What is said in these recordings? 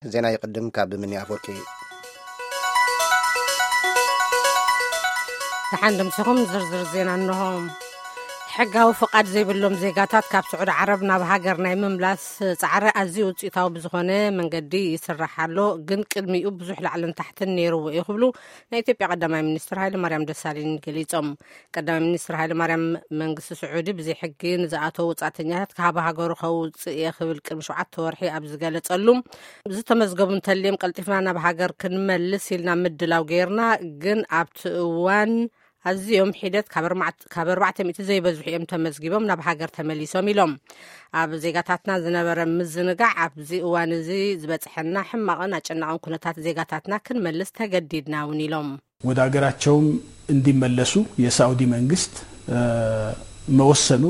ዜና ይቕድም ካብ ምኒ ኣፈወርቂ። ደሓን ድምስኹም። ዝርዝር ዜና እንሆ። ሕጋዊ ፍቓድ ዘይብሎም ዜጋታት ካብ ስዑዲ ዓረብ ናብ ሃገር ናይ ምምላስ ጻዕሪ ኣዝዩ ውጽኢታዊ ብዝኾነ መንገዲ ይስራሕ ኣሎ፣ ግን ቅድሚኡ ብዙሕ ላዕልን ታሕትን ነይርዎ እዩ ክብሉ ናይ ኢትዮጵያ ቀዳማይ ሚኒስትር ሃይለማርያም ደሳለኝ ገሊጾም። ቀዳማይ ሚኒስትር ሃይለማርያም መንግስቲ ስዑዲ ብዘይ ሕጊ ንዝኣተው ወጻእተኛታት ካብ ሃገሩ ከውጽእ እየ ክብል ቅድሚ ሸውዓተ ወርሒ ኣብ ዝገለጸሉ፣ ዝተመዝገቡ እንተልዮም ቀልጢፍና ናብ ሃገር ክንመልስ ኢልና ምድላው ገይርና፣ ግን ኣብቲ እዋን ኣዝዮም ሒደት ካብ ኣርባዕተ፣ ካብ ኣርባዕተ ሚእቲ ዘይበዝሑ እዮም ተመዝጊቦም ናብ ሃገር ተመሊሶም ኢሎም። ኣብ ዜጋታትና ዝነበረ ምዝንጋዕ ኣብዚ እዋን እዚ ዝበጽሐና ሕማቕን ኣጨናቕን ኩነታት ዜጋታትና ክንመልስ ተገዲድና እውን ኢሎም። ወደ ሀገራቸውም እንዲመለሱ የሳዑዲ መንግስት መወሰኑ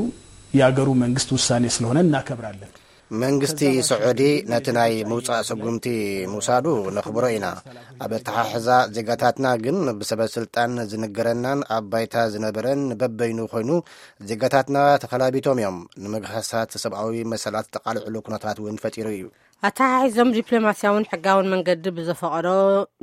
የአገሩ መንግስት ውሳኔ ስለሆነ እናከብራለን። መንግስቲ ስዑዲ ነቲ ናይ ምውጻእ ስጉምቲ ምውሳዱ ነኽብሮ ኢና። ኣብ ኣተሓሕዛ ዜጋታትና ግን ብሰበ ስልጣን ዝንገረናን ኣብ ባይታ ዝነበረን በበይኑ ኮይኑ ዜጋታትና ተኸላቢቶም እዮም። ንምግሃሳት ሰብኣዊ መሰላት ተቓልዕሉ ኩነታት እውን ፈጢሩ እዩ። ኣተሓሒዞም ዲፕሎማስያውን ሕጋውን መንገዲ ብዘፈቐዶ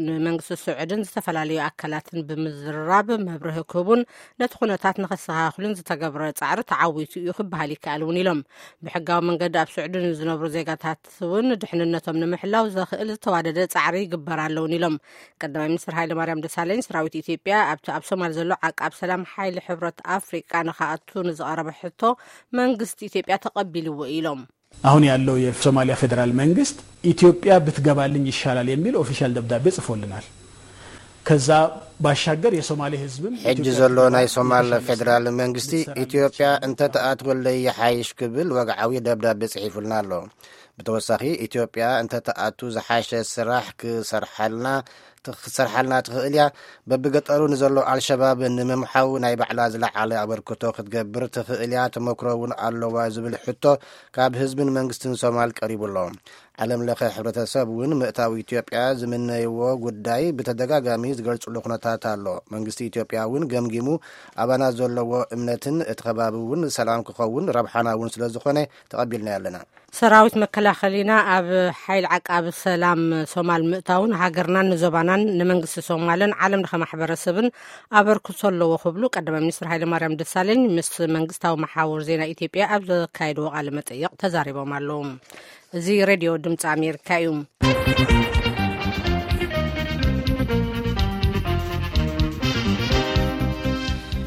ንመንግስቲ ስዑድን ዝተፈላለዩ ኣካላትን ብምዝርራብ መብርሂ ክህቡን ነቲ ኩነታት ንኸስተኻኽሉን ዝተገብረ ጻዕሪ ተዓዊቱ እዩ ክበሃል ይከኣል እውን ኢሎም። ብሕጋዊ መንገዲ ኣብ ስዑዲ ንዝነብሩ ዜጋታት እውን ድሕንነቶም ንምሕላው ዘኽእል ዝተዋደደ ጻዕሪ ይግበር ኣለውን ኢሎም። ቀዳማይ ሚኒስትር ሃይለማርያም ደሳለኝ ሰራዊት ኢትዮጵያ ኣብቲ ኣብ ሶማል ዘሎ ዓቃብ ሰላም ሓይሊ ሕብረት ኣፍሪቃ ንኸኣቱ ንዝቐረበ ሕቶ መንግስቲ ኢትዮጵያ ተቐቢልዎ ኢሎም። አሁን ያለው የሶማሊያ ፌዴራል መንግስት ኢትዮጵያ ብትገባልኝ ይሻላል የሚል ኦፊሻል ደብዳቤ ጽፎልናል። ከዛ ባሻገር የሶማሌ ህዝብም ሕጂ ዘሎ ናይ ሶማል ፌዴራል መንግስቲ ኢትዮጵያ እንተተኣትወለይ ይሓይሽ ክብል ወግዓዊ ደብዳቤ ጽሒፉልና ኣሎ። ብተወሳኺ ኢትዮጵያ እንተተኣቱ ዝሓሸ ስራሕ ክሰርሓልና ክትሰርሓልና ትኽእል እያ። በብገጠሩ ንዘሎ ኣልሸባብ ንምምሓው ናይ ባዕላ ዝለዓለ ኣበርክቶ ክትገብር ትኽእል እያ። ተመክሮ እውን ኣለዋ ዝብል ሕቶ ካብ ህዝብን መንግስትን ሶማል ቀሪቡ ኣሎ። ዓለም ለኸ ሕብረተሰብ እውን ምእታው ኢትዮጵያ ዝምነይዎ ጉዳይ ብተደጋጋሚ ዝገልጽሉ ኩነታት ኣሎ። መንግስቲ ኢትዮጵያ እውን ገምጊሙ ኣባና ዘለዎ እምነትን እቲ ከባቢ እውን ሰላም ክኸውን ረብሓና እውን ስለ ዝኾነ ተቐቢልና ኣለና። ሰራዊት መከላኸሊና ኣብ ሓይል ዓቃቢ ሰላም ሶማል ምእታውን ሃገርናን ንዞባናን ንመንግስቲ ሶማልን ዓለም ለኸ ማሕበረሰብን ኣበርክቶ ኣለዎ ክብሉ ቀዳማይ ሚኒስትር ሃይለማርያም ደሳለኝ ምስ መንግስታዊ መሓውር ዜና ኢትዮጵያ ኣብ ዘካየድዎ ቃለ መጠይቕ ተዛሪቦም ኣለዉ። እዚ ሬድዮ ድምፂ ኣሜሪካ እዩ።